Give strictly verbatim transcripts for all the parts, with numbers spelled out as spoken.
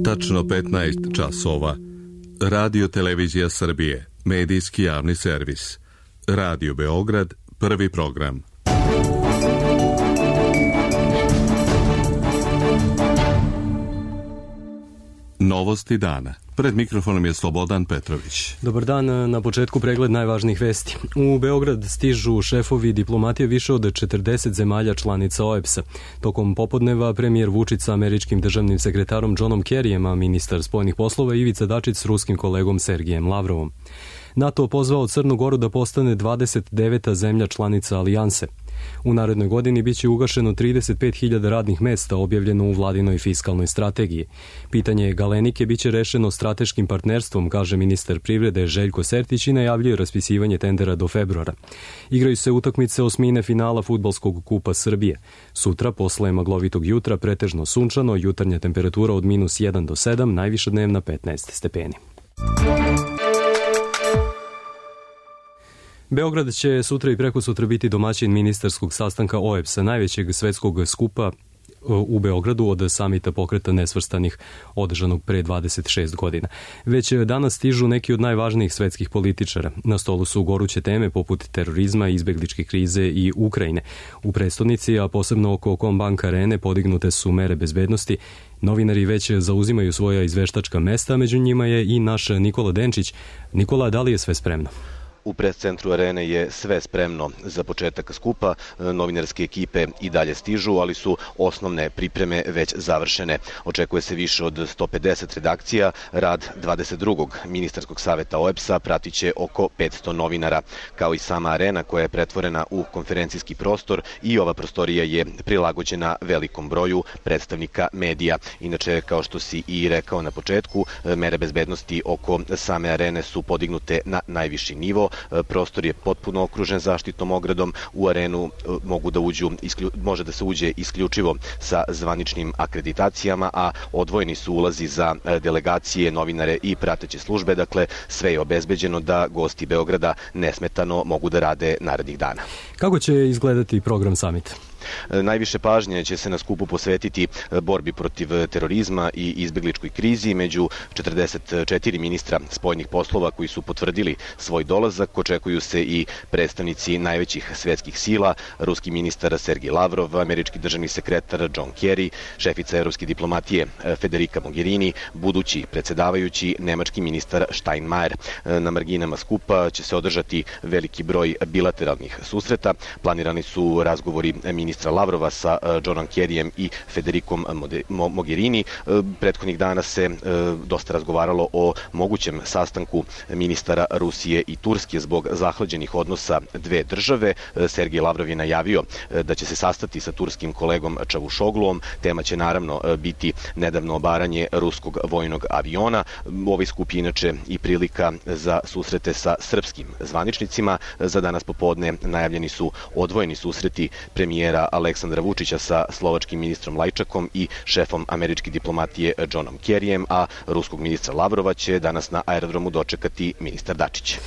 Tačno petnaest časova. Radio Televizija Srbije, medijski javni servis. Radio Beograd, prvi program. Novosti dana. Pred mikrofonom je Slobodan Petrović. Dobar dan, na početku pregled najvažnijih vesti. U Beograd stižu šefovi diplomatije više od četrdeset zemalja članica O E B S-a. Tokom popodneva premijer Vučić sa američkim državnim sekretarom Johnom Kerryjem, a ministar spoljnih poslova Ivica Dačić s ruskim kolegom Sergijem Lavrovom. NATO pozvao Crnu Goru da postane dvadeset deveta zemlja članica alijanse. U narednoj godini biće ugašeno trideset pet hiljada radnih mesta, objavljeno u vladinoj fiskalnoj strategiji. Pitanje Galenike biće rešeno strateškim partnerstvom, kaže ministar privrede Željko Sertić i najavljuje raspisivanje tendera do februara. Igraju se utakmice osmine finala Fudbalskog kupa Srbije. Sutra, posle maglovitog jutra, pretežno sunčano, jutarnja temperatura od minus jedan do sedam, najviša dnevna petnaest stepeni. Beograd će sutra i prekosutra biti domaćin ministarskog sastanka O E B S-a, najvećeg svetskog skupa u Beogradu od samita pokreta nesvrstanih održanog pre dvadeset šest godina. Već danas stižu neki od najvažnijih svetskih političara. Na stolu su goruće teme poput terorizma, izbegličke krize i Ukrajine. U prestonici, a posebno oko Combank arene, podignute su mere bezbednosti. Novinari već zauzimaju svoja izveštačka mesta, među njima je i naš Nikola Denčić. Nikola, da li je sve spremno? U pres-centru arene je sve spremno za početak skupa. Novinarske ekipe i dalje stižu, ali su osnovne pripreme već završene. Očekuje se više od sto pedeset redakcija. Rad dvadeset drugog ministarskog saveta O E B S-a pratit će oko petsto novinara. Kao i sama arena koja je pretvorena u konferencijski prostor, i ova prostorija je prilagođena velikom broju predstavnika medija. Inače, kao što si i rekao na početku, mere bezbednosti oko same arene su podignute na najviši nivo. Prostor je potpuno okružen zaštitnom ogradom. U arenu mogu da uđu, može da se uđe isključivo sa zvaničnim akreditacijama, a odvojeni su ulazi za delegacije, novinare i prateće službe. Dakle, sve je obezbeđeno da gosti Beograda nesmetano mogu da rade narednih dana. Kako će izgledati program samita? Najviše pažnje će se na skupu posvetiti borbi protiv terorizma i izbegličkoj krizi. Među četrdeset četiri ministra spoljnih poslova koji su potvrdili svoj dolazak očekuju se i predstavnici najvećih svetskih sila, ruski ministar Sergij Lavrov, američki državni sekretar John Kerry, šefica evropske diplomatije Federica Mogherini, budući predsedavajući nemački ministar Steinmeier. Na marginama skupa će se održati veliki broj bilateralnih susreta. Planirani su razgovori ministra Lavrova sa Johnom Kerryjem i Federicom Mogherini. Prethodnih dana se dosta razgovaralo o mogućem sastanku ministara Rusije i Turske zbog zahlađenih odnosa dve države. Sergij Lavrov je najavio da će se sastati sa turskim kolegom Čavuşogluom. Tema će naravno biti nedavno obaranje ruskog vojnog aviona. Ovaj skup je inače i prilika za susrete sa srpskim zvaničnicima. Za danas popodne najavljeni su odvojeni susreti premijera Aleksandra Vučića sa slovačkim ministrom Lajčakom i šefom američke diplomatije Johnom Kerryjem, a ruskog ministra Lavrova će danas na aerodromu dočekati ministar Dačić.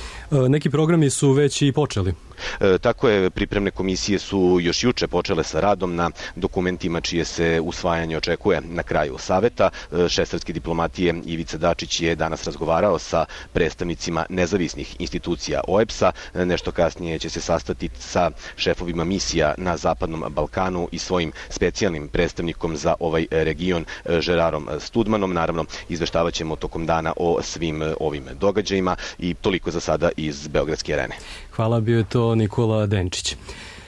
Neki programi su već i počeli. E, tako je, pripremne komisije su još juče počele sa radom na dokumentima čije se usvajanje očekuje na kraju saveta. E, šef srpske diplomatije Ivica Dačić je danas razgovarao sa predstavnicima nezavisnih institucija O E B S-a. E, nešto kasnije će se sastati sa šefovima misija na Zapadnom Balkanu i svojim specijalnim predstavnikom za ovaj region Žerarom Studmanom. Naravno, izveštavat ćemo tokom dana o svim ovim događajima i toliko za sada iz Beogradske arene. Hvala, bio je to Nikola Denčić.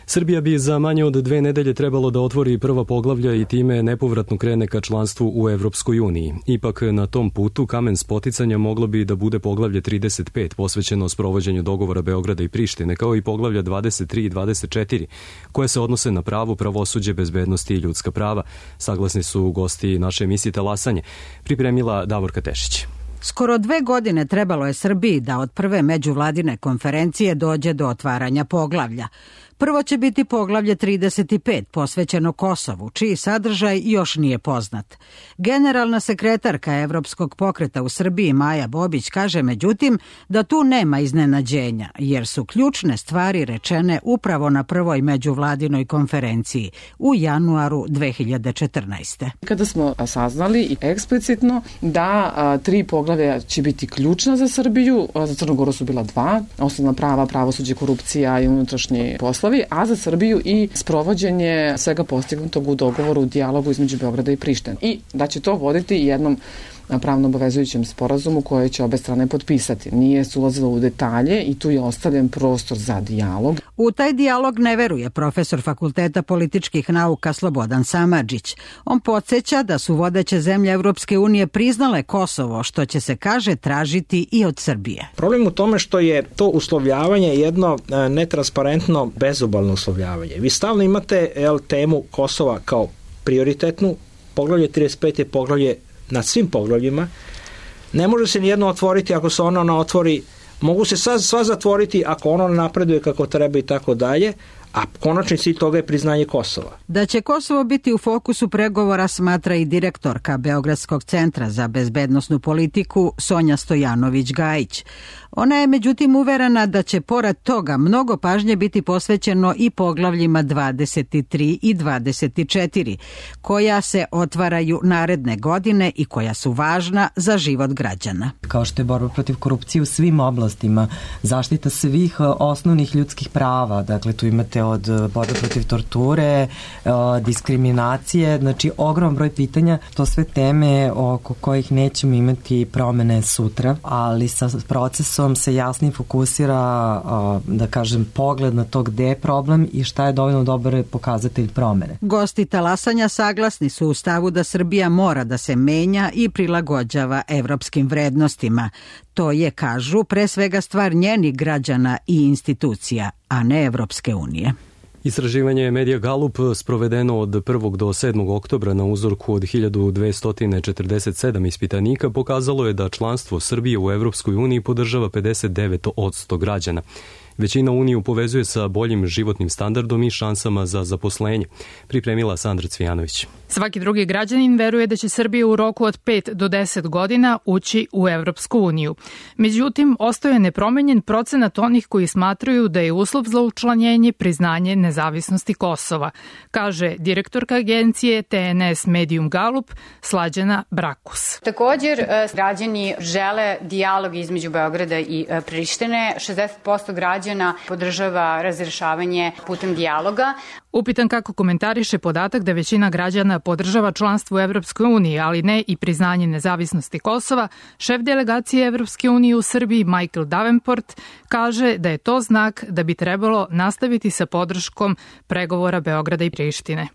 Srbija bi za manje od dve nedelje trebalo da otvori prva poglavlja i time nepovratno krene ka članstvu u Evropskoj uniji. Ipak na tom putu kamen spoticanja moglo bi da bude poglavlje trideset pet posvećeno sprovođenju dogovora Beograda i Prištine, kao i poglavlja dvadeset tri i dvadeset četiri, koje se odnose na pravo, pravosuđe, bezbednosti i ljudska prava. Saglasni su gosti naše emisije Talasanje. Pripremila Davorka Tešić. Skoro dve godine trebalo je Srbiji da od prve međuvladine konferencije dođe do otvaranja poglavlja. Prvo će biti poglavlje trideset pet posvećeno Kosovu, čiji sadržaj još nije poznat. Generalna sekretarka Evropskog pokreta u Srbiji Maja Bobić kaže međutim da tu nema iznenađenja, jer su ključne stvari rečene upravo na prvoj međuvladinoj konferenciji u januaru dve hiljade četrnaeste. Kada smo saznali i eksplicitno da a, tri poglavlja će biti ključna za Srbiju, a za Crnu Goru su bila dva, osnovna prava, pravosuđe, korupcija i unutrašnji poslovi, a za Srbiju i sprovođenje svega postignutog u dogovoru u dijalogu između Beograda i Prištine. I da će to voditi jednom pravno obavezujućem sporazumu koje će obe strane potpisati. Nije se ulazilo u detalje i tu je ostavljen prostor za dijalog. U taj dijalog ne veruje profesor Fakulteta političkih nauka Slobodan Samardžić. On podsjeća da su vodeće zemlje Evropske unije priznale Kosovo, što će se, kaže, tražiti i od Srbije. Problem u tome što je to uslovljavanje jedno netransparentno, bezobalno uslovljavanje. Vi stalno imate el, temu Kosova kao prioritetnu, poglavlje trideset pet je poglavlje nad svim poglavljima. Ne može se nijedno otvoriti ako se ono ne otvori, mogu se sva, sva zatvoriti ako ono napreduje kako treba i tako dalje, a konačni cilj toga je priznanje Kosova. Da će Kosovo biti u fokusu pregovora smatra i direktorka Beogradskog centra za bezbednosnu politiku Sonja Stojanović-Gajić. Ona je međutim uverena da će pored toga mnogo pažnje biti posvećeno i poglavljima dvadeset tri i dvadeset četiri, koja se otvaraju naredne godine i koja su važna za život građana. Kao što je borba protiv korupcije u svim oblastima, zaštita svih osnovnih ljudskih prava, dakle tu imate od borbe protiv torture, diskriminacije, znači ogrom broj pitanja, to sve teme oko kojih nećemo imati promene sutra, ali sa procesom se jasnije fokusira, da kažem, pogled na to gde je problem i šta je dovoljno dobar pokazatelj promene. Gosti talasanja saglasni su u stavu da Srbija mora da se menja i prilagođava evropskim vrednostima. To je, kažu, pre svega stvar njenih građana i institucija, a ne Evropske unije. Istraživanje Medija Galup sprovedeno od prvog do sedmog oktobra na uzorku od hiljadu dvesta četrdeset sedam ispitanika pokazalo je da članstvo Srbije u Evropskoj uniji podržava pedeset devet posto građana. Većina Uniju povezuje sa boljim životnim standardom i šansama za zaposlenje, pripremila Sandra Cvijanović. Svaki drugi građanin veruje da će Srbija u roku od pet do deset godina ući u Evropsku uniju. Međutim, ostaje nepromenjen procenat onih koji smatraju da je uslov za učlanjenje priznanje nezavisnosti Kosova, kaže direktorka agencije T N S Medium Galup Slađana Brakus. Također, građani žele dijalog između Beograda i Prištine. šezdeset posto građana podržava razrešavanje putem dijaloga. Upitan kako komentariše podatak da većina građana podržava članstvo u Evropskoj uniji, ali ne i priznanje nezavisnosti Kosova, šef delegacije Evropske unije u Srbiji Michael Davenport kaže da je to znak da bi trebalo nastaviti sa podrškom pregovora Beograda i Prištine.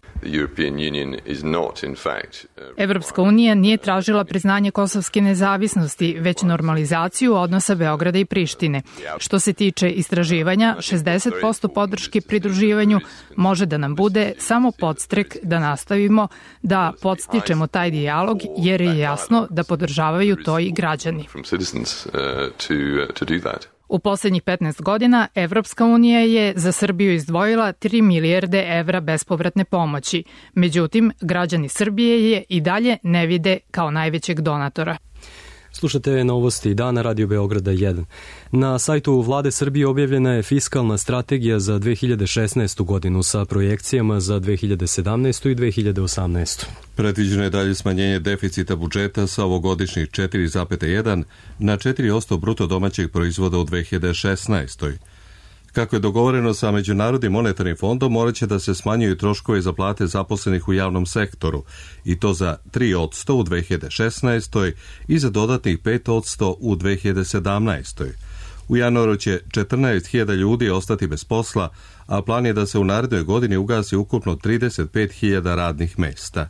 Evropska unija nije tražila priznanje kosovske nezavisnosti, već normalizaciju odnosa Beograda i Prištine. Što se tiče istraživanja, šezdeset posto podrške pridruživanju može da nam bude samo podstrek da nastavimo da podstičemo taj dijalog, jer je jasno da podržavaju to i građani. U poslednjih petnaest godina Evropska unija je za Srbiju izdvojila tri milijarde evra bespovratne pomoći. Međutim, građani Srbije je i dalje ne vide kao najvećeg donatora. Slušate novosti dana Radio Beograda jedan. Na sajtu Vlade Srbije objavljena je fiskalna strategija za dve hiljade šesnaestu godinu sa projekcijama za dve hiljade sedamnaestu i dve hiljade osamnaestu. Predviđeno je dalje smanjenje deficita budžeta sa ovogodišnjih četiri zarez jedan na četiri posto bruto domaćeg proizvoda u dve hiljade šesnaestoj. Kako je dogovoreno sa Međunarodnim monetarnim fondom, morat će da se smanjuju troškovi za plate zaposlenih u javnom sektoru, i to za tri posto u dve hiljade šesnaestoj i za dodatnih pet posto u dve hiljade sedamnaestoj. U januaru će četrnaest hiljada ljudi ostati bez posla, a plan je da se u narednoj godini ugasi ukupno trideset pet hiljada radnih mesta.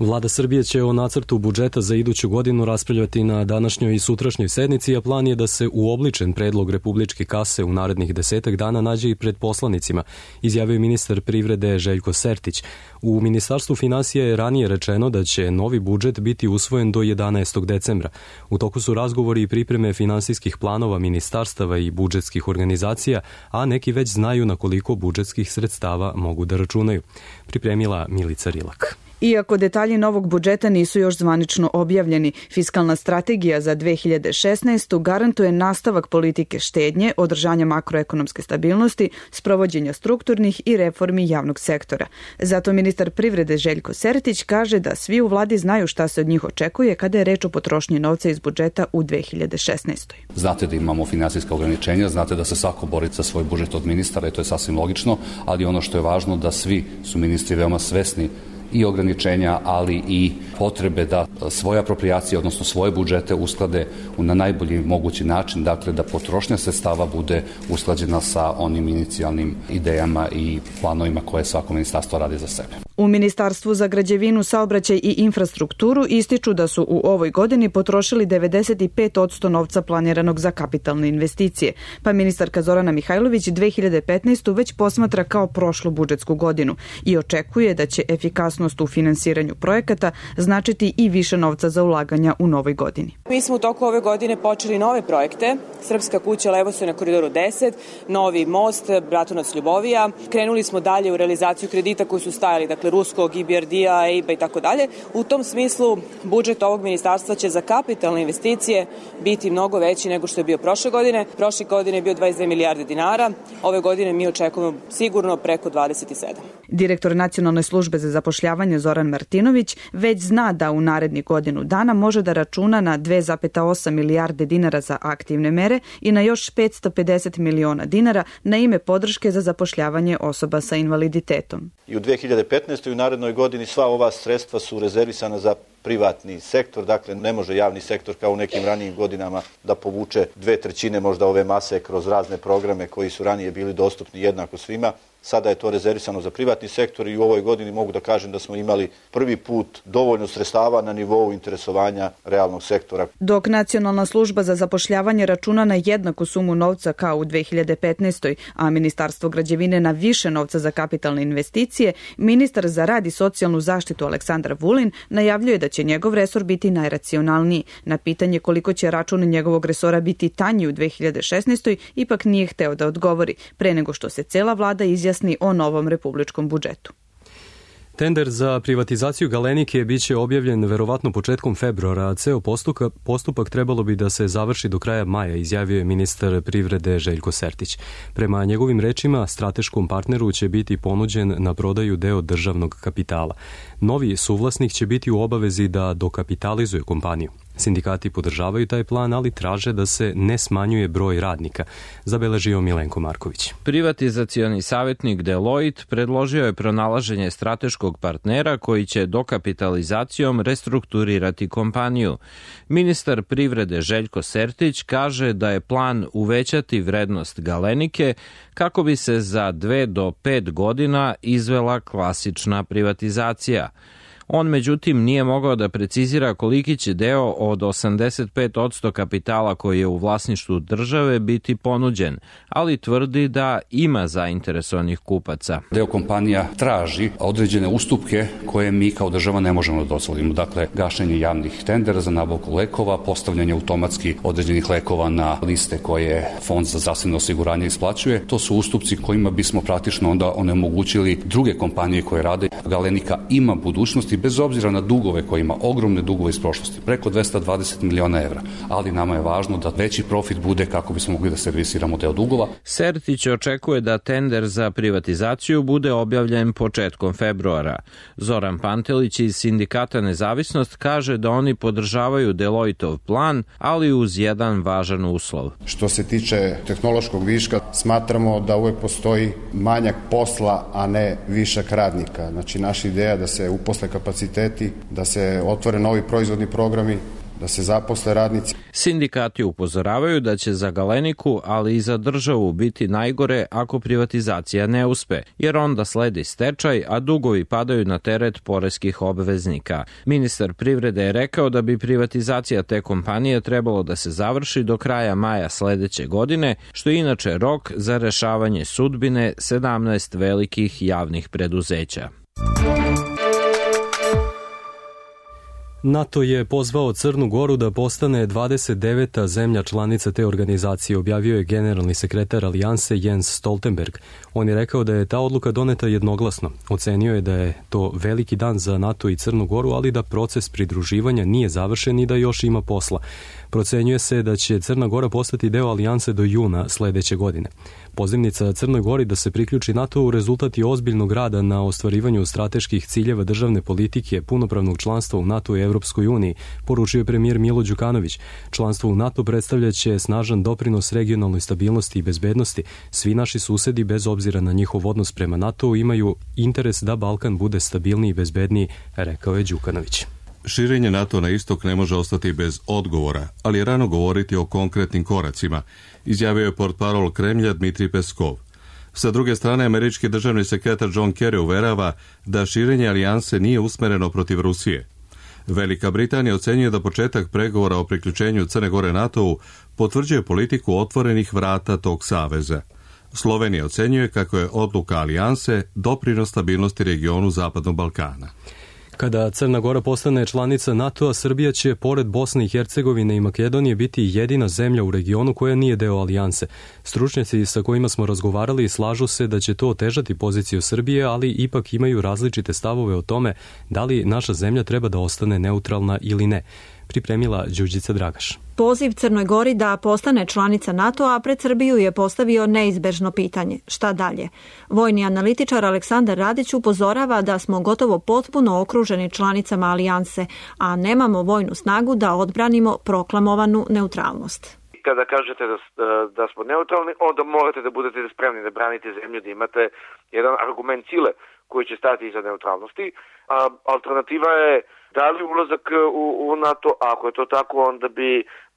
Vlada Srbije će o nacrtu budžeta za iduću godinu raspravljati na današnjoj i sutrašnjoj sednici, a plan je da se uobličen predlog republičke kase u narednih desetak dana nađe i pred poslanicima, izjavio ministar privrede Željko Sertić. U Ministarstvu finansija je ranije rečeno da će novi budžet biti usvojen do jedanaestog decembra. U toku su razgovori i pripreme finansijskih planova ministarstava i budžetskih organizacija, a neki već znaju na koliko budžetskih sredstava mogu da računaju. Pripremila Milica Rilak. Iako detalji novog budžeta nisu još zvanično objavljeni, fiskalna strategija za dve hiljade šesnaestu. garantuje nastavak politike štednje, održanja makroekonomske stabilnosti, sprovođenja strukturnih i reformi javnog sektora. Zato ministar privrede Željko Sertić kaže da svi u vladi znaju šta se od njih očekuje kada je reč o potrošnji novca iz budžeta u dve hiljade šesnaestoj. Znate da imamo finansijska ograničenja, znate da se svako bori za svoj budžet od ministara i to je sasvim logično, ali ono što je važno da svi su ministri veoma svesni i ograničenja, ali i potrebe da svoje aproprijacije, odnosno svoje budžete usklade na najbolji mogući način, dakle da potrošnja sredstava bude usklađena sa onim inicijalnim idejama i planovima koje svako ministarstvo radi za sebe. U Ministarstvu za građevinu, saobraćaj i infrastrukturu ističu da su u ovoj godini potrošili devedeset pet posto novca planiranog za kapitalne investicije, pa ministarka Zorana Mihajlović dve hiljade petnaestu. već posmatra kao prošlu budžetsku godinu i očekuje da će efikasnost u finansiranju projekata značiti i više novca za ulaganja u novoj godini. Mi smo u toku ove godine počeli nove projekte, Srpska kuća Levosoj na Koridoru deset, novi most, Bratunac-Ljubovija. Krenuli smo dalje u realizaciju kredita koji su stajali, dakle ruskog, I B R D-a, E I B-a i tako dalje. U tom smislu budžet ovog ministarstva će za kapitalne investicije biti mnogo veći nego što je bio prošle godine. Prošle godine je bio dvadeset dve milijarde dinara, ove godine mi očekujemo sigurno preko dvadeset sedam. Direktor Nacionalne službe za zapošljavanje Zoran Martinović već zna da u narednih godinu dana može da računa na dve zarez osam milijarde dinara za aktivne mere i na još petsto pedeset miliona dinara na ime podrške za zapošljavanje osoba sa invaliditetom. I u dve hiljade petnaestoj. i u narednoj godini sva ova sredstva su rezervisana za privatni sektor, dakle ne može javni sektor kao u nekim ranijim godinama da povuče dve trećine možda ove mase kroz razne programe koji su ranije bili dostupni jednako svima. Sada je to rezervisano za privatni sektor i u ovoj godini mogu da kažem da smo imali prvi put dovoljno sredstava na nivou interesovanja realnog sektora. Dok Nacionalna služba za zapošljavanje računa na jednaku sumu novca kao u dve hiljade petnaestoj. a Ministarstvo građevine na više novca za kapitalne investicije, ministar za rad i socijalnu zaštitu Aleksandar Vulin najavljuje da će njegov resor biti najracionalniji. Na pitanje koliko će račun njegovog resora biti tanji u dve hiljade šesnaestoj. ipak nije hteo da odgovori, pre nego što se cela vlada izjasni o novom republičkom budžetu. Tender za privatizaciju Galenike biće objavljen verovatno početkom februara, a ceo postupak, postupak trebalo bi da se završi do kraja maja, izjavio je ministar privrede Željko Sertić. Prema njegovim rečima, strateškom partneru će biti ponuđen na prodaju deo državnog kapitala. Novi suvlasnik će biti u obavezi da dokapitalizuje kompaniju. Sindikati podržavaju taj plan, ali traže da se ne smanjuje broj radnika, zabeležio Milenko Marković. Privatizacioni savjetnik Deloitte predložio je pronalaženje strateškog partnera koji će dokapitalizacijom restrukturirati kompaniju. Ministar privrede Željko Sertić kaže da je plan uvećati vrednost Galenike kako bi se za dve do pet godina izvela klasična privatizacija. On međutim nije mogao da precizira koliki će deo od osamdeset pet posto kapitala koji je u vlasništvu države biti ponuđen, ali tvrdi da ima zainteresovanih kupaca. Deo kompanija traži određene ustupke koje mi kao država ne možemo da dozvolimo. Dakle, gašenje javnih tendera za nabavku lekova, postavljanje automatski određenih lekova na liste koje Fond za zdravstveno osiguranje isplaćuje. To su ustupci kojima bismo praktično onda onemogućili druge kompanije koje rade. Galenika ima budućnosti bez obzira na dugove koje ima, ogromne dugove iz prošlosti, preko dvesta dvadeset miliona evra, ali nama je važno da veći profit bude kako bismo mogli da servisiramo deo dugova. Sertić očekuje da tender za privatizaciju bude objavljen početkom februara. Zoran Pantelić iz Sindikata Nezavisnost kaže da oni podržavaju Deloitov plan, ali uz jedan važan uslov. Što se tiče tehnološkog viška, smatramo da uvek postoji manjak posla, a ne višak radnika. Znači, naša ideja da se uposle kapaciteti, da se otvore novi proizvodni programi, da se zaposle radnici. Sindikati upozoravaju da će za Galeniku, ali i za državu biti najgore ako privatizacija ne uspe, jer onda sledi stečaj, a dugovi padaju na teret poreskih obveznika. Ministar privrede je rekao da bi privatizacija te kompanije trebalo da se završi do kraja maja sledeće godine, što je inače rok za rešavanje sudbine sedamnaest velikih javnih preduzeća. NATO je pozvao Crnu Goru da postane dvadeset deveta zemlja članica te organizacije, objavio je generalni sekretar Alijanse Jens Stoltenberg. On je rekao da je ta odluka doneta jednoglasno. Ocenio je da je to veliki dan za NATO i Crnu Goru, ali da proces pridruživanja nije završen i da još ima posla. Procenjuje se da će Crna Gora postati deo Alijanse do juna sledeće godine. Pozivnica Crnoj Gori da se priključi NATO-u rezultat je ozbiljnog rada na ostvarivanju strateških ciljeva državne politike, punopravnog članstva u NATO i Evropskoj uniji, poručio je premijer Milo Đukanović. Članstvo u NATO predstavljaće snažan doprinos regionalnoj stabilnosti i bezbednosti. Svi naši susedi, bez obzira na njihov odnos prema NATO-u, imaju interes da Balkan bude stabilniji i bezbedniji, rekao je Đukanović. Širenje NATO na istok ne može ostati bez odgovora, ali je rano govoriti o konkretnim koracima, izjavio je portparol Kremlja Dmitrij Peskov. Sa druge strane, američki državni sekretar John Kerry uverava da širenje alijanse nije usmereno protiv Rusije. Velika Britanija ocenjuje da početak pregovora o priključenju Crne Gore NATO-u potvrđuje politiku otvorenih vrata tog saveza. Slovenija ocenjuje kako je odluka alijanse doprinos stabilnosti regionu Zapadnog Balkana. Kada Crna Gora postane članica NATO-a, Srbija će, pored Bosne i Hercegovine i Makedonije, biti jedina zemlja u regionu koja nije deo alijanse. Stručnjaci sa kojima smo razgovarali slažu se da će to otežati poziciju Srbije, ali ipak imaju različite stavove o tome da li naša zemlja treba da ostane neutralna ili ne. Pripremila Đurđica Dragaš. Poziv Crnoj Gori da postane članica NATO-a pred Srbiju je postavio neizbežno pitanje. Šta dalje? Vojni analitičar Aleksandar Radić upozorava da smo gotovo potpuno okruženi članicama alijanse, a nemamo vojnu snagu da odbranimo proklamovanu neutralnost. Kada kažete da, da smo neutralni, onda morate da budete spremni da branite zemlju, da imate jedan argument sile koji će stati iza neutralnosti. A alternativa je da li ulazak u, u NATO, a ako je to tako, onda bi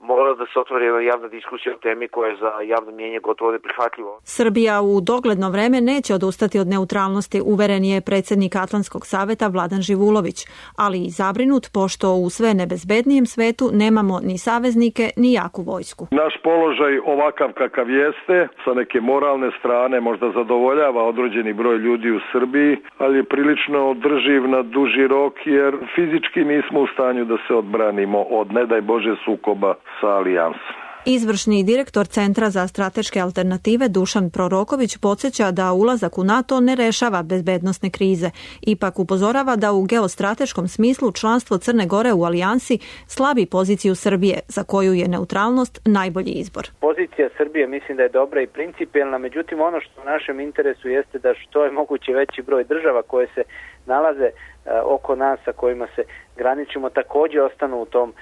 morala da se otvori jedna javna diskusija o temi koja je za javno mnjenje gotovo neprihvatljivo. Srbija u dogledno vreme neće odustati od neutralnosti, uveren je predsjednik Atlantskog saveta Vladan Živulović, ali i zabrinut pošto u sve nebezbednijem svetu nemamo ni saveznike ni jaku vojsku. Naš položaj ovakav kakav jeste, sa neke moralne strane možda zadovoljava određeni broj ljudi u Srbiji, ali je prilično održiv na duži rok jer fizički nismo u stanju da se odbranimo od, ne daj Bože, sukoba sa alijansom. Izvršni direktor Centra za strateške alternative Dušan Proroković podsjeća da ulazak u NATO ne rešava bezbednosne krize. Ipak upozorava da u geostrateškom smislu članstvo Crne Gore u alijansi slabi poziciju Srbije, za koju je neutralnost najbolji izbor. Pozicija Srbije mislim da je dobra i principijelna, međutim ono što u našem interesu jeste da što je moguće veći broj država koje se nalaze oko nas, sa kojima se graničimo, također ostanu u tom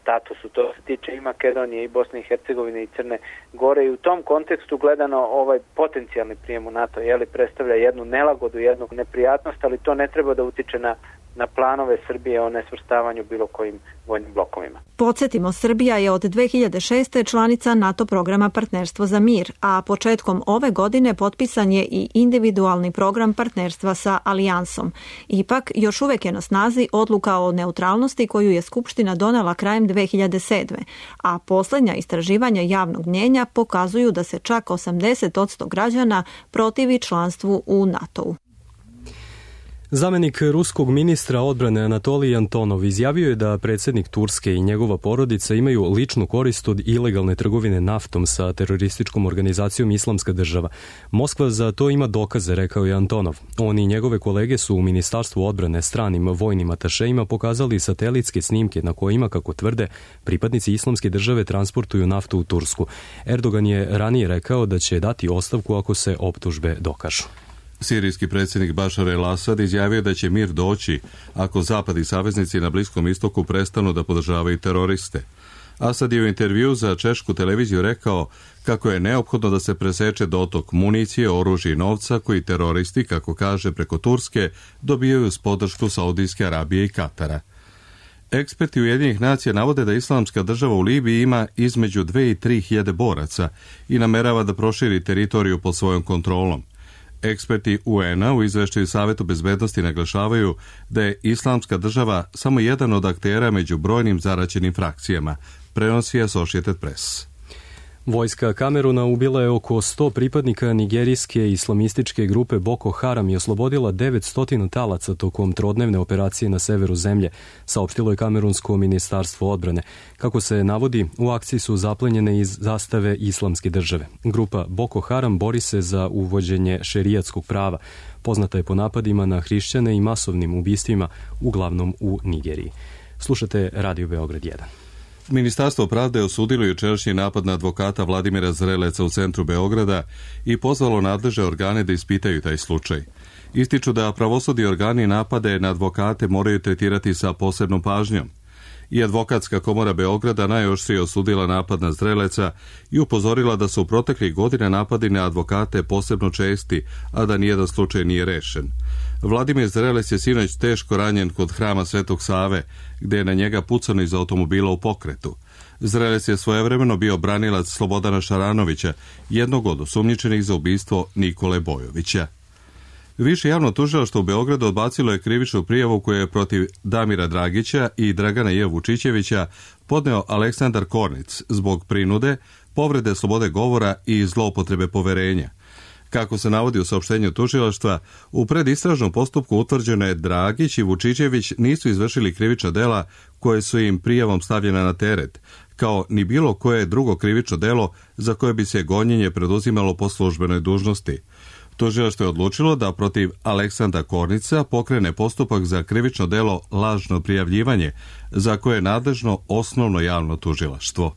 statusu. To se tiče i Makedonije, i Bosne i Hercegovine, i Crne Gore, i u tom kontekstu gledano ovaj potencijalni prijem u NATO jeli, predstavlja jednu nelagodu, jednu neprijatnost, ali to ne treba da utiče na na planove Srbije o nesvrstavanju bilo kojim vojnim blokovima. Podsjetimo, Srbija je od dve hiljade šeste. članica NATO programa Partnerstvo za mir, a početkom ove godine potpisan je i individualni program partnerstva sa alijansom. Ipak, još uvek je na snazi odluka o neutralnosti koju je Skupština donela krajem dve hiljade sedme. a posljednja istraživanja javnog mnjenja pokazuju da se čak osamdeset posto građana protivi članstvu u NATO-u. Zamenik ruskog ministra odbrane Anatolij Antonov izjavio je da predsjednik Turske i njegova porodica imaju ličnu korist od ilegalne trgovine naftom sa terorističkom organizacijom Islamska država. Moskva za to ima dokaze, rekao je Antonov. On i njegove kolege su u Ministarstvu odbrane stranim vojnim atašejima pokazali satelitske snimke na kojima, kako tvrde, pripadnici Islamske države transportuju naftu u Tursku. Erdogan je ranije rekao da će dati ostavku ako se optužbe dokažu. Sirijski predsjednik Bašar el-Asad izjavio da će mir doći ako Zapad i saveznici na Bliskom istoku prestanu da podržavaju teroriste. Asad je u intervju za češku televiziju rekao kako je neophodno da se preseče dotok municije, oružja i novca koji teroristi, kako kaže, preko Turske dobijaju s podršku Saudijske Arabije i Katara. Eksperti Ujedinjenih nacija navode da Islamska država u Libiji ima između dve i tri hiljade boraca i namerava da proširi teritoriju pod svojom kontrolom. Eksperti U N a u izveštaju Savetu bezbednosti naglašavaju da je Islamska država samo jedan od aktera među brojnim zaraćenim frakcijama, prenosi Associated Press. Vojska Kameruna ubila je oko sto pripadnika nigerijske islamističke grupe Boko Haram i oslobodila devetsto talaca tokom trodnevne operacije na severu zemlje, saopštilo je Kamerunsko ministarstvo odbrane. Kako se navodi, u akciji su zaplenjene iz zastave islamske države. Grupa Boko Haram bori se za uvođenje šerijatskog prava. Poznata je po napadima na hrišćane i masovnim ubistvima, uglavnom u Nigeriji. Slušate Radio Beograd jedan. Ministarstvo pravde je osudilo jučerašnji napad na advokata Vladimira Zreleca u centru Beograda i pozvalo nadležne organe da ispitaju taj slučaj. Ističu da pravosudni organi napade na advokate moraju tretirati sa posebnom pažnjom. I Advokatska komora Beograda najoštrije osudila napad na Zreleca i upozorila da su u proteklih godina napadi na advokate posebno česti, a da nijedan slučaj nije rešen. Vladimir Zrelec je sinoć teško ranjen kod hrama Svetog Save, gde je na njega pucano iz automobila u pokretu. Zrelec je svojevremeno bio branilac Slobodana Šaranovića, jednog od osumnjičenih za ubistvo Nikole Bojovića. Više javno tužilaštvo u Beogradu odbacilo je krivičnu prijavu koju je protiv Damira Dragića i Dragana J. Vučićevića podneo Aleksandar Kornic zbog prinude, povrede slobode govora i zloupotrebe poverenja. Kako se navodi u saopštenju tužilaštva, u predistražnom postupku utvrđeno je Dragić i Vučićević nisu izvršili krivična dela koje su im prijavom stavljena na teret, kao ni bilo koje drugo krivično delo za koje bi se gonjenje preduzimalo po službenoj dužnosti. Tužilaštvo je odlučilo da protiv Aleksandra Kornica pokrene postupak za krivično delo lažno prijavljivanje, za koje je nadležno osnovno javno tužilaštvo.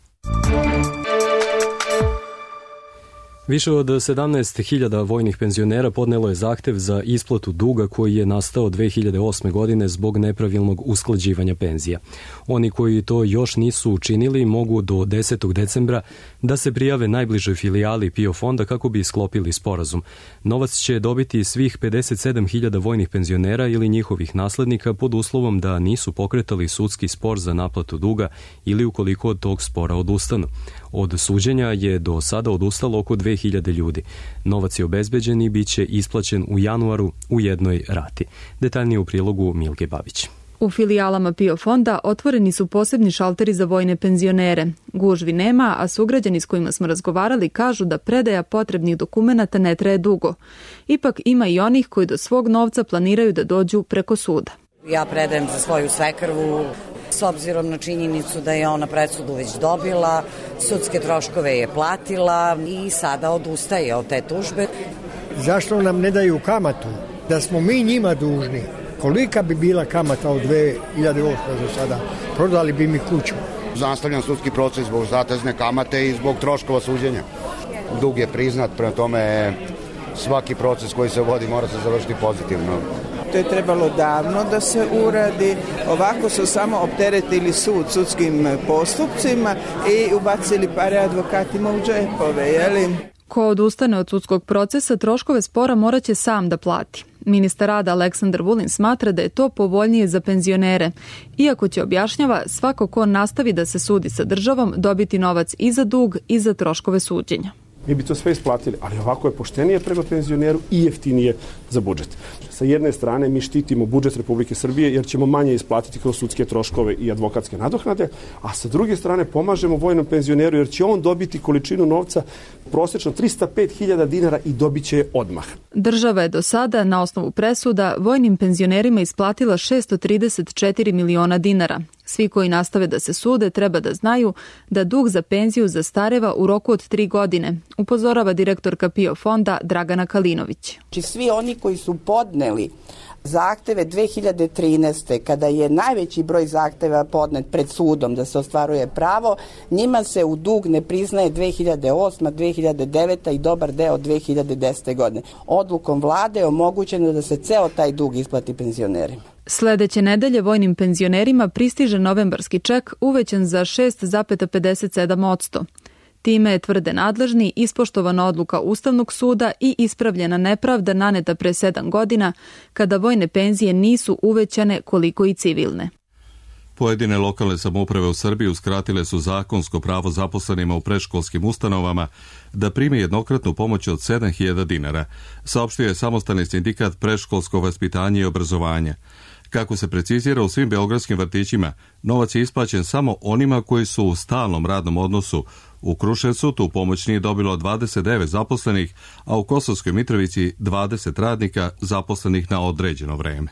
Više od sedamnaest hiljada vojnih penzionera podnelo je zahtev za isplatu duga koji je nastao dve hiljade osme. godine zbog nepravilnog usklađivanja penzija. Oni koji to još nisu učinili mogu do desetog decembra da se prijave najbližoj filijali P I O fonda kako bi sklopili sporazum. Novac će dobiti svih pedeset sedam hiljada vojnih penzionera ili njihovih naslednika pod uslovom da nisu pokretali sudski spor za naplatu duga ili ukoliko od tog spora odustanu. Od suđenja je do sada odustalo oko dve hiljade ljudi. Novac je obezbeđen i bit će isplaćen u januaru u jednoj rati. Detaljnije u prilogu Milke Babić. U filijalama P I O fonda otvoreni su posebni šalteri za vojne penzionere. Gužvi nema, a sugrađani s kojima smo razgovarali kažu da predaja potrebnih dokumenata ne traje dugo. Ipak ima i onih koji do svog novca planiraju da dođu preko suda. Ja predajem za svoju svekrvu, s obzirom na činjenicu da je ona presudu već dobila, sudske troškove je platila i sada odustaje od te tužbe. Zašto nam ne daju kamatu? Da smo mi njima dužni. Kolika bi bila kamata od dve hiljade osme. do sada? Prodali bi mi kuću. Nastavljam sudski proces zbog zatezne kamate i zbog troškova suđenja. Dug je priznat, prema tome svaki proces koji se vodi mora se završiti pozitivno. To je trebalo davno da se uradi. Ovako su samo opteretili sud sudskim postupcima i ubacili pare advokatima u džepove, jeli? Ko odustane od sudskog procesa, troškove spora moraće sam da plati. Ministar rada Aleksandar Vulin smatra da je to povoljnije za penzionere. Iako će, objašnjava, svako ko nastavi da se sudi sa državom dobiti novac i za dug i za troškove suđenja. Mi bi to sve isplatili, ali ovako je poštenije prema penzioneru i jeftinije za budžet. Sa jedne strane mi štitimo budžet Republike Srbije jer ćemo manje isplatiti kroz sudske troškove i advokatske nadoknade, a sa druge strane pomažemo vojnom penzioneru jer će on dobiti količinu novca prosečno trista pet hiljada dinara i dobit će je odmah. Država je do sada na osnovu presuda vojnim penzionerima isplatila šessto trideset četiri miliona dinara. Svi koji nastave da se sude treba da znaju da dug za penziju zastareva u roku od tri godine, upozorava direktorka P I O fonda Dragana Kalinović. Svi oni koji su podneli zahteve dve hiljade trinaeste. kada je najveći broj zahteva podnet pred sudom da se ostvaruje pravo, njima se u dug ne priznaje dve hiljade osme. dve hiljade devete. i dobar deo dve hiljade desete. godine. Odlukom vlade je omogućeno da se ceo taj dug isplati penzionerima. Sledeće nedelje vojnim penzionerima pristiže novembarski ček uvećan za šest zarez pedeset sedam posto. Time je, tvrde nadležni, ispoštovana odluka Ustavnog suda i ispravljena nepravda naneta pre sedam godina, kada vojne penzije nisu uvećane koliko i civilne. Pojedine lokalne samouprave u Srbiji uskratile su zakonsko pravo zaposlenima u predškolskim ustanovama da prime jednokratnu pomoć od sedam hiljada dinara, saopštio je samostalni sindikat predškolsko vaspitanje i obrazovanja. Kako se precizira, u svim beogradskim vrtićima novac je isplaćen samo onima koji su u stalnom radnom odnosu. U Kruševcu tu pomoć nije dobilo dvadeset devet zaposlenih, a u Kosovskoj Mitrovici dvadeset radnika zaposlenih na određeno vreme.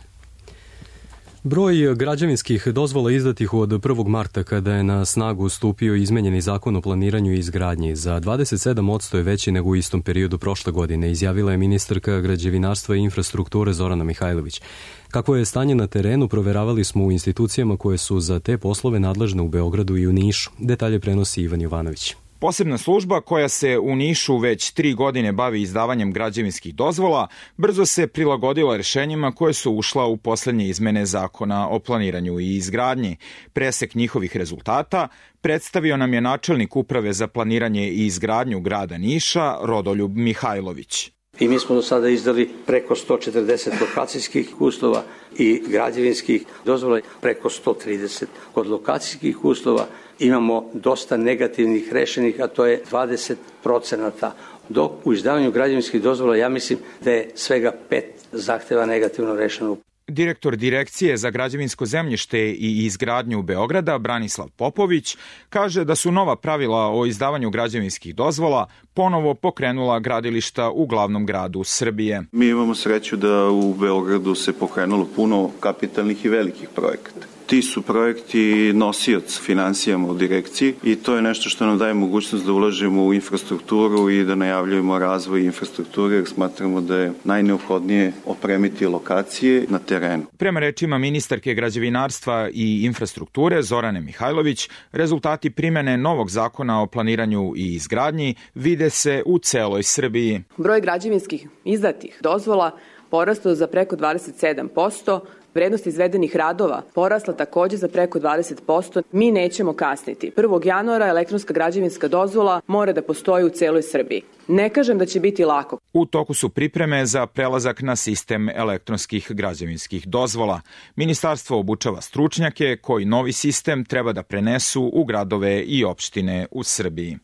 Broj građevinskih dozvola izdatih od prvog marta, kada je na snagu stupio izmenjeni zakon o planiranju i izgradnji, za dvadeset sedam posto je veći nego u istom periodu prošle godine, izjavila je ministarka građevinarstva i infrastrukture Zorana Mihajlović. Kako je stanje na terenu, proveravali smo u institucijama koje su za te poslove nadležne u Beogradu i u Nišu. Detalje prenosi Ivan Jovanović. Posebna služba koja se u Nišu već tri godine bavi izdavanjem građevinskih dozvola brzo se prilagodila rešenjima koje su ušla u poslednje izmene zakona o planiranju i izgradnji. Presek njihovih rezultata predstavio nam je načelnik Uprave za planiranje i izgradnju grada Niša, Rodoljub Mihajlović. I mi smo do sada izdali preko sto četrdeset lokacijskih uslova i građevinskih dozvola, preko sto trideset. Kod lokacijskih uslova imamo dosta negativnih rešenih, a to je dvadeset procenata. Dok u izdavanju građevinskih dozvola ja mislim da je svega pet zahteva negativno rešeno. Direktor Direkcije za građevinsko zemljište i izgradnju Beograda, Branislav Popović, kaže da su nova pravila o izdavanju građevinskih dozvola ponovo pokrenula gradilišta u glavnom gradu Srbije. Mi imamo sreću da u Beogradu se pokrenulo puno kapitalnih i velikih projekata. Ti su projekti nosioc finansijama u direkciji i to je nešto što nam daje mogućnost da ulažemo u infrastrukturu i da najavljujemo razvoj infrastrukture, jer smatramo da je najneophodnije opremiti lokacije na terenu. Prema rečima ministarke građevinarstva i infrastrukture Zorane Mihajlović, rezultati primene novog zakona o planiranju i izgradnji vide se u celoj Srbiji. Broj građevinskih izdatih dozvola porastao za preko dvadeset sedam posto, vrednost izvedenih radova porasla takođe za preko dvadeset posto. Mi nećemo kasniti. prvog januara elektronska građevinska dozvola mora da postoji u celoj Srbiji. Ne kažem da će biti lako. U toku su pripreme za prelazak na sistem elektronskih građevinskih dozvola. Ministarstvo obučava stručnjake koji novi sistem treba da prenesu u gradove i opštine u Srbiji.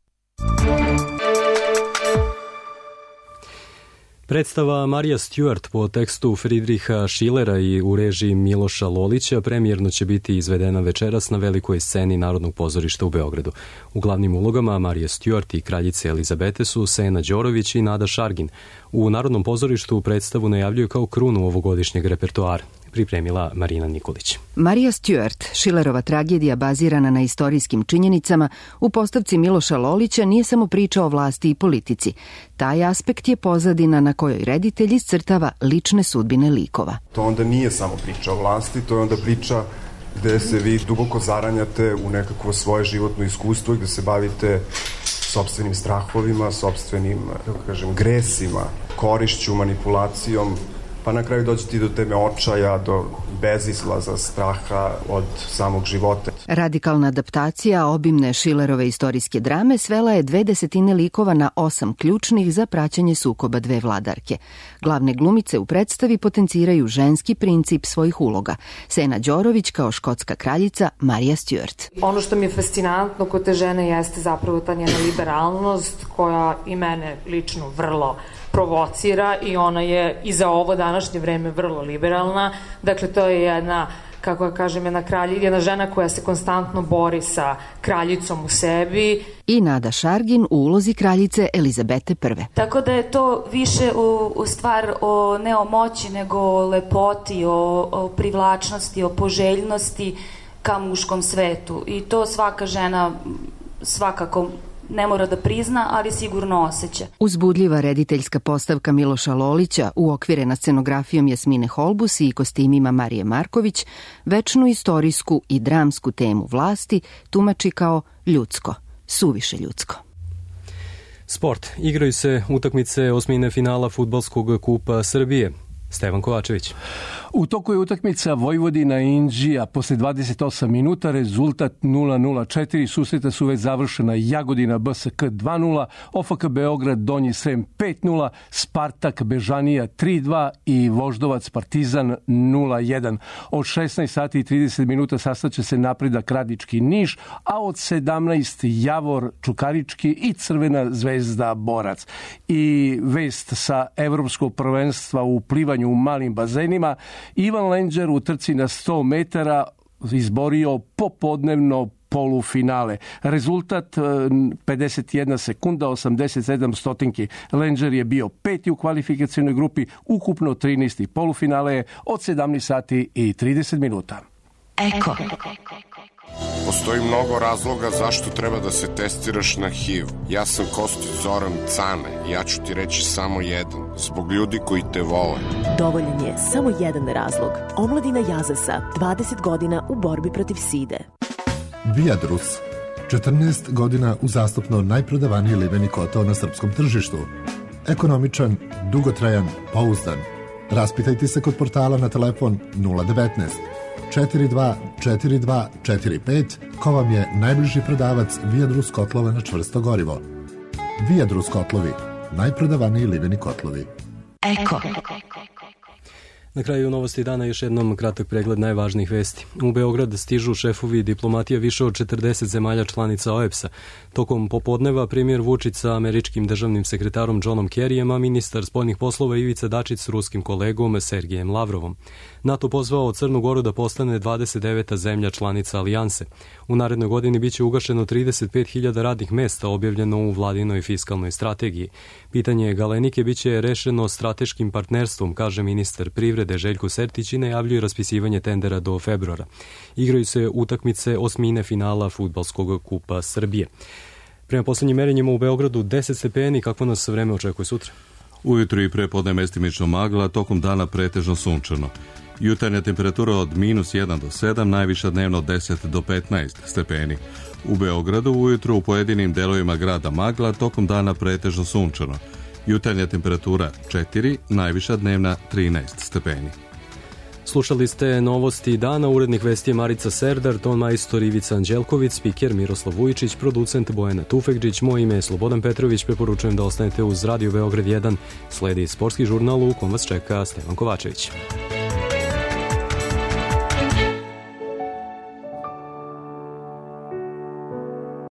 Predstava Marija Stewart po tekstu Friedricha Schillera i u režiji Miloša Lolića premijerno će biti izvedena večeras na velikoj sceni Narodnog pozorišta u Beogradu. U glavnim ulogama Marija Stewart i kraljice Elizabete su Sena Đorović i Nada Šargin. U Narodnom pozorištu predstavu najavljuju kao krunu ovogodišnjeg repertoara. Pripremila Marina Nikolić. Marija Stewart, Schillerova tragedija bazirana na istorijskim činjenicama, u postavci Miloša Lolića nije samo priča o vlasti i politici. Taj aspekt je pozadina na kojoj reditelj iscrtava lične sudbine likova. To onda nije samo priča o vlasti, to je onda priča gde se vi duboko zaranjate u nekakvo svoje životno iskustvo i gde se bavite sopstvenim strahovima, sopstvenim, kako kažem, gresima, korišću, manipulacijom, pa na kraju dođete i do teme očaja, do bezizlaza, straha od samog života. Radikalna adaptacija obimne Schillerove istorijske drame svela je dve desetine likova na osam ključnih za praćenje sukoba dve vladarke. Glavne glumice u predstavi potenciraju ženski princip svojih uloga. Sena Đorović kao škotska kraljica, Marija Stewart. Ono što mi je fascinantno kod te žene jeste zapravo ta njena liberalnost koja i mene lično vrlo provocira i ona je i za ovo današnje vreme vrlo liberalna. Dakle, to je jedna, kako ja kažem, jedna, kralj, jedna žena koja se konstantno bori sa kraljicom u sebi. I Nada Šargin u ulozi kraljice Elizabete prve. Tako da je to više u, u stvar o, ne o moći, nego o lepoti, o, o privlačnosti, o poželjnosti ka muškom svetu. I to svaka žena svakako ne mora da prizna, ali sigurno osjeća. Uzbudljiva rediteljska postavka Miloša Lolića, uokvirena scenografijom Jasmine Holbus i kostimima Marije Marković, večnu istorijsku i dramsku temu vlasti tumači kao ljudsko, suviše ljudsko. Sport. Igraju se utakmice osmine finala Fudbalskog kupa Srbije. Stevan Kovačević. U toku je utakmica Vojvodina-Inđija. Posle dvadeset osam minuta rezultat nula nula. Četiri susreta su već završena. Jagodina B S K dva nula, O F K Beograd Donji Srem pet nula, Spartak Bežanija tri dva i Voždovac Partizan nula jedan. Od šesnaest sati i trideset minuta sastaće se Napredak Radnički Niš, a od sedamnaest Javor Čukarički i Crvena zvezda Borac. I vest sa evropskog prvenstva u plivanju u malim bazenima. Ivan Lenđer u trci na sto metara izborio popodnevno polufinale. Rezultat pedeset jedna sekunda, osamdeset sedam stotinki. Lenđer je bio peti u kvalifikacijnoj grupi, ukupno trinaesti. Polufinale je od sedamnaest sati i trideset minuta. Eko. Postoji mnogo razloga zašto treba da se testiraš na H I V. Ja sam Kostić Zoran Cane i ja ću ti reći samo jedan. Zbog ljudi koji te vole. Dovoljan je samo jedan razlog. Omladina Jazasa, dvadeset godina u borbi protiv side. Viadrus, četrnaest godina uzastopno najprodavaniji liveni kotao na srpskom tržištu. Ekonomičan, dugotrajan, pouzdan. Raspitajte se kod portala na telefon nula devetnaest četiri dva četiri dva četiri pet, ko vam je najbliži prodavac Viadrus kotlova na čvrsto gorivo. Viadrus kotlovi, najprodavaniji liveni kotlovi. Eko. Na kraju novosti dana još jednom kratak pregled najvažnijih vesti. U Beograd stižu šefovi diplomatija više od četrdeset zemalja članica O E B S-a. Tokom popodneva premijer Vučić sa američkim državnim sekretarom Johnom Kerryjem, a ministar spoljnih poslova Ivica Dačić s ruskim kolegom Sergejem Lavrovom. NATO pozvao Crnu Goru da postane dvadeset deveta zemlja članica Alijanse. U narednoj godini biće ugašeno trideset pet hiljada radnih mesta, objavljeno u vladinoj fiskalnoj strategiji. Pitanje Galenike biće rešeno strateškim partnerstvom, kaže ministar privrede Željko Sertić i najavljuje raspisivanje tendera do februara. Igraju se utakmice osmine finala Fudbalskog kupa Srbije. Prema poslednjim merenjima u Beogradu deset stepeni, kakvo nas vreme očekuje sutra? Ujutru i prepodne mestimično magla, tokom dana pretežno sunčano. Jutarnja temperatura od minus jedan do sedam, najviša dnevno od deset do petnaest stepeni. U Beogradu ujutru u pojedinim delovima grada magla, tokom dana pretežno sunčano. Jutarnja temperatura četiri, najviša dnevna trinaest stepeni. Slušali ste novosti dana, urednik vesti je Marica Serdar, ton majstor Ivica Anđelković, spiker Miroslav Vujičić, producent Bojana Tufekđić, moje ime je Slobodan Petrović, preporučujem da ostanete uz Radio Beograd jedan, sledi sportski žurnal u kom vas čeka Stevan Kovačević.